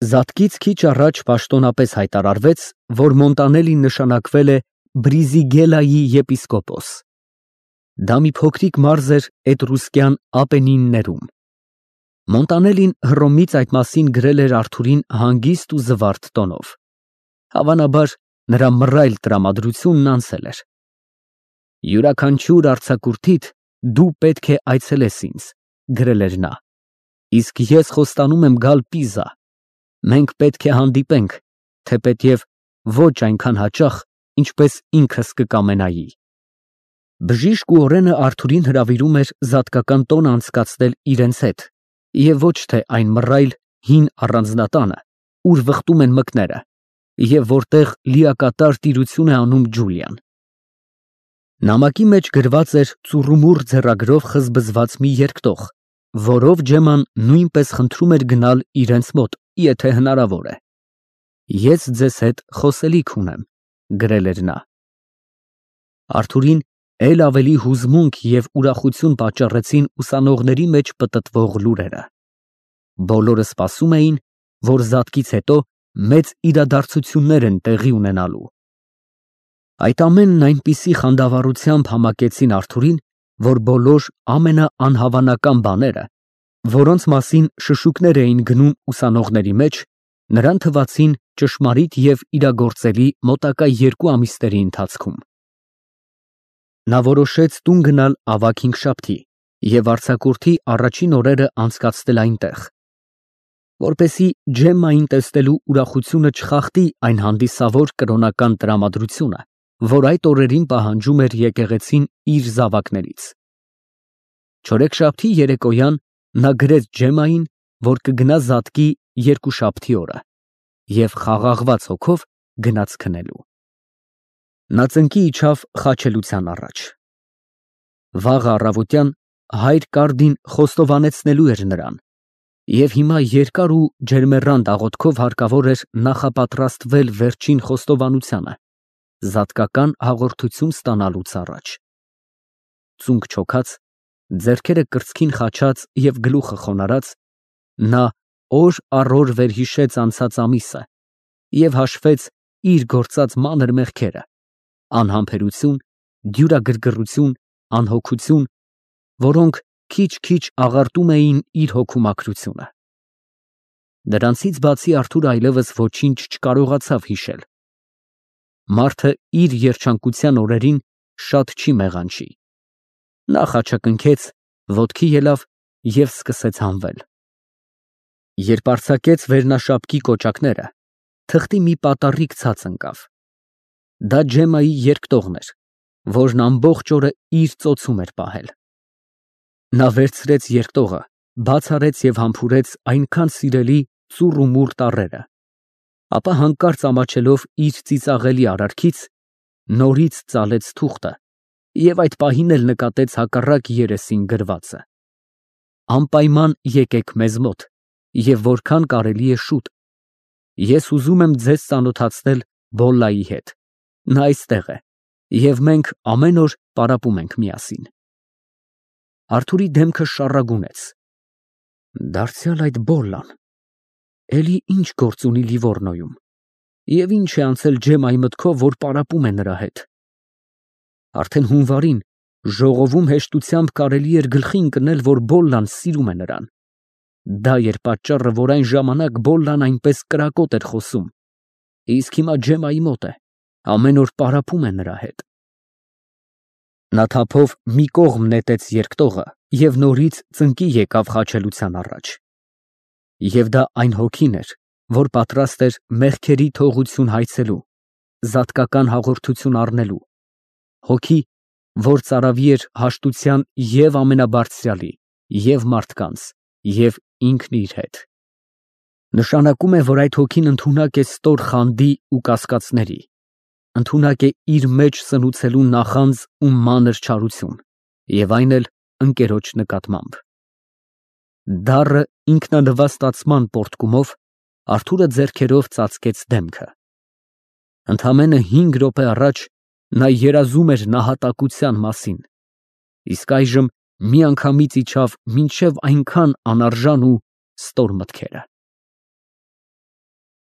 Զատկից քիչ առաջ պաշտոնապես հայտարարվեց, որ Մոնտանելին նշանակվել է Բրիզիգելայի եպիսկոպոս։ Դա մի փոքրիկ մարզ էր էտրուսկյան Ապենիններում։ Մոնտանելին Հռոմից այդ մասին գրել էր Արթուրին հանգիստ ու զվարթ տոնով։ Հավանաբար, նրա մռայլ տրամադրությունն անցել էր։ «Յուրաքանչյուր արձակուրդիդ դու պետք է այցելես ինձ», գրել էր նա, «իսկ ես խոստանում եմ գալ Պիզա։ Մենք պետք է հանդիպենք, թեպետև ոչ այնքան հաճախ, ինչպես ինքս կկամենայի»։ Բժիշկ ու օրենը Արթուրին հրավիրում էր զատկական տոն անցկացնել իրենց հետ, և ոչ թե այն մռայլ հին առանձնատանը, ուր վխտում են մկները, և որտեղ լիակատար տիրություն է անում Ջուլիան։ Նամակի մեջ գրված էր ծուռումուռ ձեռագրով խզբզված մի երկտող, որով Ջեման նույնպես խնդրում էր գնալ իրենց մոտ, եթե հնարավոր է։ «Ես ձեզ հետ խոսելիք ունեմ», գրել էր նա։ Արթուրին էլ ավելի հուզմունք և ուրախություն պատճառեցին ուսանողների մեջ պտտվող լուրերը։ Բոլորը սպասում էին, որ զատկից հետո մեծ իրադարձություններ են տեղի ունենալու։ Այդ ամենն այնպիսի խանդավառությամբ համակեցին Արթուրին, որ բոլոր ամենաանհավանական բաները, որոնց մասին շշուկներ էին գնում ուսանողների մեջ, նրան թվացին ճշմարիտ և իրագործելի մոտակա 2 ամիսների ընթացքում։ Նա որոշեց տուն գնալ ավագ հինգշաբթի և արձակուրդի առաջին օրերը անցկացնել այնտեղ, որպեսզի Ջեմմային տեսնելու ուրախությունը չխախտի այն հանդիսավոր կրոնական տրամադրությունը, որ այդ օրերին պահանջում էր եկեղեցին իր զավակներից։ Չորեքշաբթի երեկոյան նա գրեց Ջեմմային, որ կգնա զատկի երկուշաբթի օրը, և խաղաղված հոգով գնաց քնելու։ Նա ծնկի իջավ խաչելության առաջ։ Վաղը առավոտյան հայր Կարդին խոստովանեցնելու էր նրան, և հիմա երկար ու ջերմեռանդ աղոթքով հարկավոր էր նախապատրաստվել վերջին խոստովանությանը, զատկական հաղորդություն ստանալուց առաջ։ Ծունկ չոքած, ձեռքերը կրծքին խաչած և գլուխը խոնարհած, նա օր առ օր վերհիշեց անցած ամիսը և հաշվեց իր գործած մանր մեղքերը՝ անհամբերություն, դյուրագրգռություն, անհոգություն, որոնք քիչ-քիչ աղարտում էին իր հոգու մաքրությունը։ Դրանցից բացի Արթուրը այլևս ոչինչ չկարողացավ հիշել։ Մարդը իր երջանկության օրերին շատ չի մեղանչի։ Նա խաչակնքեց, ոտքի ելավ և սկսեց հանվել։ Երբ արձակեց վերնաշապկի կոճակները, թղթի մի պատառիկ ցած ընկավ։ Դա Ջեմմայի երկտողն էր, որն ամբողջ օրը իր ծոցում էր պահել։ Նա վերցրեց երկտողը, բաց արեց և համբուրեց այնքան սիրելի ծուռումուռ տառերը, ապա հանկարծ ամաչելով իր ծիծաղելի արարքից, նորից ծալեց թուղթը և այդ պահին էլ նկատեց հակառակ երեսին գրվածը. «Անպայման եկեք մեզ մոտ և որքան կարելի է շուտ։ Ես ուզում եմ ձեզ ծանոթացնել Բոլլայի հետ. նա այստեղ է, և մենք ամեն օր պարապում ենք միասին»։ Արթուրի դեմքը շառագունեց։ Դարձյալ այդ Բոլլան, էլի ինչ գործ ունի Լիվորնոյում, և ինչ է անցել Ջեմմայի մտքով, որ պարապում է նրա հետ։ Արդեն հունվարին ժողովում հեշտությամբ կարելի էր գլխի ընկնել, որ Բոլլան սիրում է նրան։ Դա էր պատճառը, որ այն ժամանակ Բոլլան այնպես կրակոտ էր խոսում, իսկ հիմա Ջեմմայի մոտ է, ամեն օր պարապում է նրա հետ։ Նա թափով մի կողմ նետեց երկտողը և նորից ծնկի եկավ խաչելության առաջ։ Եվ դա այն հոգին էր, որ պատրաստ էր մեղքերի թողություն հայցելու, զատկական հաղորդություն առնելու, հոգի, որ ծարավի էր հաշտության և ամենաբարձրյալի, և մարդկանց, և ինքն իր հետ։ Նշանակում է, որ այդ հոգին ընդունակ է ստոր խանդի ու կասկածների, ընդունակ է իր մեջ սնուցելու նախանձ ու մանր չարություն, և այն էլ ընկերոջ նկատմամբ։ Դառը ինքնանվաստացման պոռթկումով Արթուրը ձեռքերով ծածկեց դեմքը։ Ընդամենը 5 րոպե առաջ նա երազում էր նահատակության մասին, իսկ այժմ միանգամից իջավ մինչև այնքան անարժան ու ստոր մտքերը։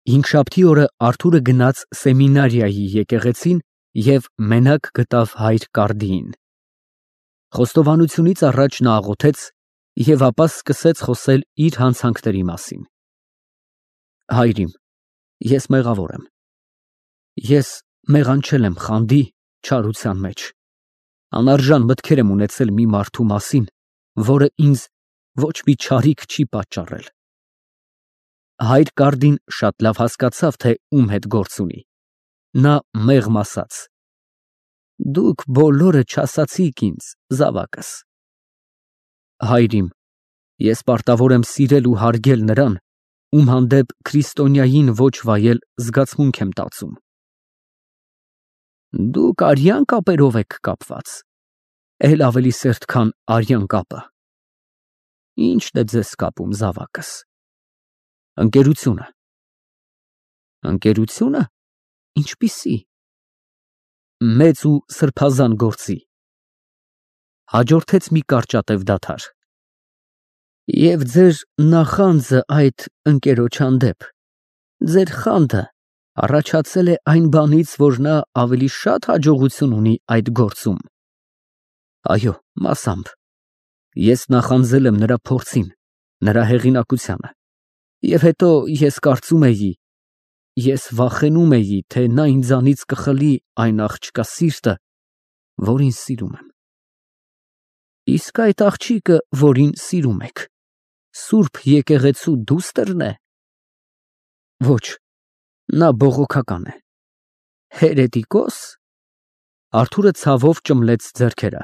Հինգշաբթի օրը Արթուրը գնաց սեմինարիայի եկեղեցին և մենակ գտավ հայր Կարդիին։ Խոստովանությունից առաջ նա աղոթեց և ապա սկսեց խոսել իր հանցանքների մասին։ Հայր իմ, ես մեղավոր եմ։ Ես մեղանչել եմ խանդի, չարության մեջ, անարժան մտքեր եմ ունեցել մի մարդու մասին, որը ինձ ոչ մի չարիք չի պատճառել։ Հայր Կարդին շատ լավ հասկացավ, թե ում հետ գործ ունի։ Նա մեղմ ասաց. «Դուք բոլորը չասացիք ինձ, զավակս»։ Հայր իմ, ես պարտավոր եմ սիրել ու հարգել նրան, ում հանդեպ քրիստոնյային ոչ վայել զգացմունք եմ տածում։ Դուք արյան կապերով եք կապված, էլ ավելի սերտ, քան արյան կապը։ Ի՞նչն է ձեզ կապում, զավակս։ Ընկերությունը։ Ընկերությունը։ Ինչպիսի։ Մեծ ու սրբազան գործի։ Հաջորդեց մի կարճատև դադար։ Եվ ձեր նախանձը այդ ընկերոջ հանդեպ, ձեր խանդը առաջացել է այն բանից, որ նա ավելի շատ հաջողություն ունի այդ գործում։ Այո, մասամբ։ Ես նախանձել եմ նրա փորձին, նրա հեղինակությանը, և հետո ես կարծում էի, ես վախենում էի, թե նա ինձանից կխլի այն աղջկա սիրտը, որին սիրում եմ։ Իսկ այդ աղջիկը, որին սիրում եք, Սուրբ եկեղեցու դուստր՞ն է։ Ոչ, նա բողոքական է։ Հերետիկոս։ Արթուրը ցավով ճմլեց ձեռքերը։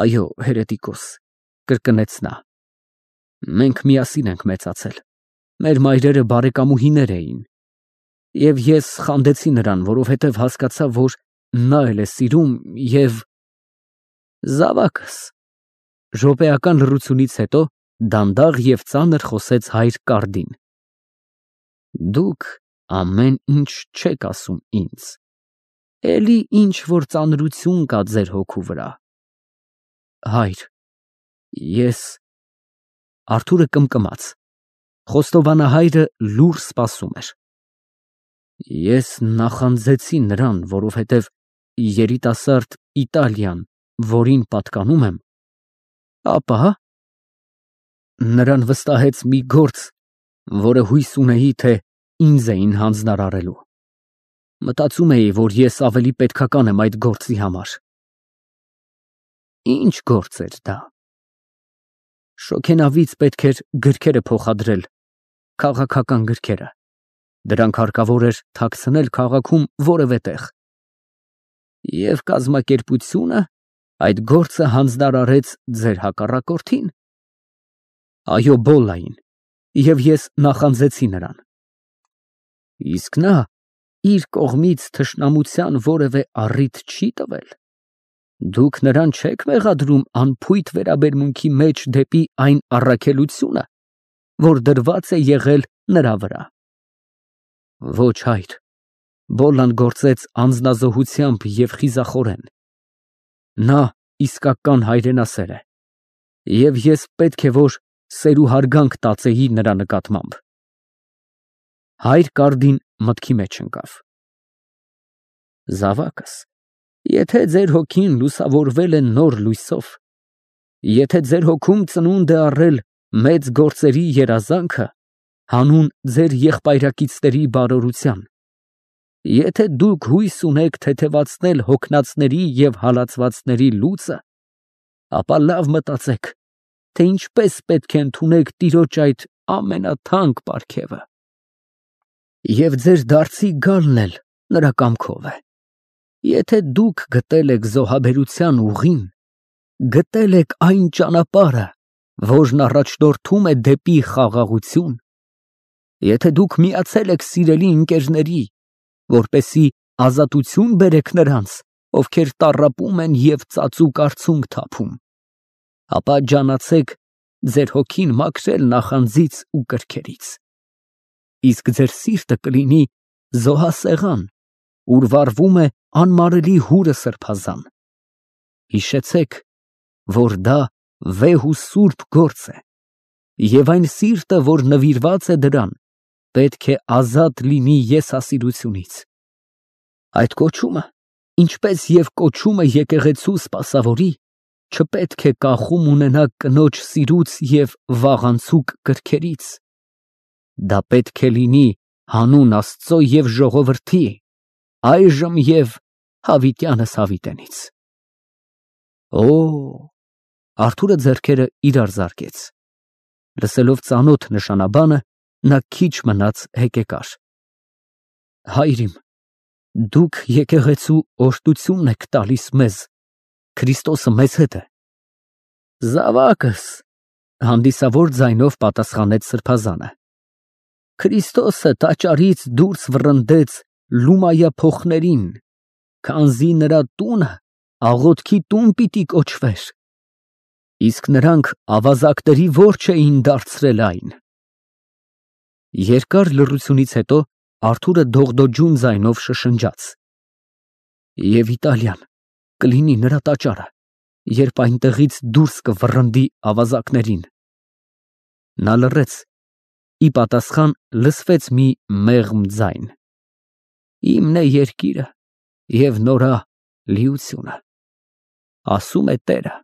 Այո, հերետիկոս, կրկնեց նա։ Մենք միասին ենք մեծացել։ Մեր մայրերը բարեկամուհիներ էին։ Եվ ես խանդեցի նրան, որովհետև հասկացա, որ նա էլ է սիրում և… Զավակս։ Րոպեական լռությունից հետո դանդաղ և ծանր խոսեց հայր Կարդին։ Դուք ամեն ինչ չեք ասում ինձ, էլի ինչ որ ծանրություն կա ձեր հոգու վրա։ Հայր, ես… Արթուրը կմկմաց։ Խոստովանահայրը լուռ սպասում էր։ Ես նախանձեցի նրան, որովհետև երիտասարդ Իտալիան, որին պատկանում եմ, ապա… Նրան վստահեց մի գործ, որը հույս ունեի, թե ինձ էին հանձնարարելու։ Մտածում էի, որ ես ավելի պետքական եմ այդ գործի համար։ Ինչ գործ էր դա։ Շոգենավից պետք էր գրքերը փոխադրել, քաղաքական գրքերը։ Դրանք հարկավոր էր թաքցնել քաղաքում որևէ տեղ։ Եվ կազմակերպությունը այդ գործը հանձնարարեց ձեր հակառակորդին։ Այո, Բոլլային, և ես նախանձեցի նրան։ Իսկ նա իր կողմից թշնամության որևէ առիթ չի տվել։ Դուք նրան չեք մեղադրում անփույթ վերաբերմունքի մեջ դեպի այն առաքելությունը, որ դրված է եղել նրա վրա։ Ոչ, հայր, Բոլլան գործեց անձնազոհությամբ և խիզախորեն։ Նա իսկական հայրենասեր է, և ես պետք է որ սեր ու հարգանք տածեի նրա նկատմամբ։ Հայր Կարդին մտքի մեջ ընկավ։ Զավակս, եթե ձեր հոգին լուսավորվել է նոր լույսով, եթե ձեր հոգում ծնունդ է առել մեծ գործերի երազանքը, հանուն ձեր եղբայրակիցների բարօրության, եթե դուք հույս ունեք թեթևացնել հոգնածների և հալածվածների լուծը, ապա լավ մտածեք, թե ինչպես պետք է ընդունեք Տիրոջ այդ ամենաթանկ պարգևը։ Եվ ձեր դարձի գալն էլ նրա կամքով է։ Եթե դուք գտել եք զոհաբերության ուղին, գտել եք այն ճանապարհը, որն առաջնորդում է դեպի խաղաղություն, եթե դուք միացել եք սիրելի ընկերների, որպեսզի ազատություն բերեք նրանց, ովքեր տառապում են և ծածուկ արցունք թափում, ապա ջանացեք ձեր հոգին մաքրել նախանձից ու կրքերից։ Իսկ ձեր սիրտը կլինի զոհասեղան, ուր վառվում է անմարելի հուրը սրբազան։ Հիշեցեք, որ դա վեհ ու սուրբ գործ է, և այն սիրտը, որ նվիրված է դրան, պետք է ազատ լինի եսասիրությունից։ Այդ կոչումը, ինչպես և կոչումը եկեղեցու սպասավորի, չպետք է կախում ունենա կնոջ սիրուց և վաղանցուկ կրքերից։ Դա պետք է լինի հանուն Աստծո և ժողովրդի, այժմ և հավիտյանս հավիտենից։ Օ, Արթուրը ձեռքերը իրար զարկեց։ Լսելով ծանոթ նշանաբանը, նա քիչ մնաց հեկեկար։ Հայր իմ, դուք եկեղեցու օրհնությունն եք տալիս մեզ, Քրիստոսը մեզ հետ է։ Զավակս, հանդիսավոր ձայնով պատասխանեց սրբազանը։ Քրիստոսը տաճարից դուրս վռնդեց Լումայա փոխներին, քանզի նրա տունը աղոթքի տուն պիտի կոչվեր, իսկ նրանք ավազակների որջ էին դարձրել այն։ Երկար լռությունից հետո Արթուրը դողդոջուն ձայնով շշնջաց. Եվ Իտալիան կլինի նրա տաճարը, երբ այնտեղից դուրս կվռնդի ավազակներին։ Նա լռեց, ի պատասխան լսվեց մի մեղմ ձայն. Իմն է երկիրը և նորա լիությունը, ասում է Տերը։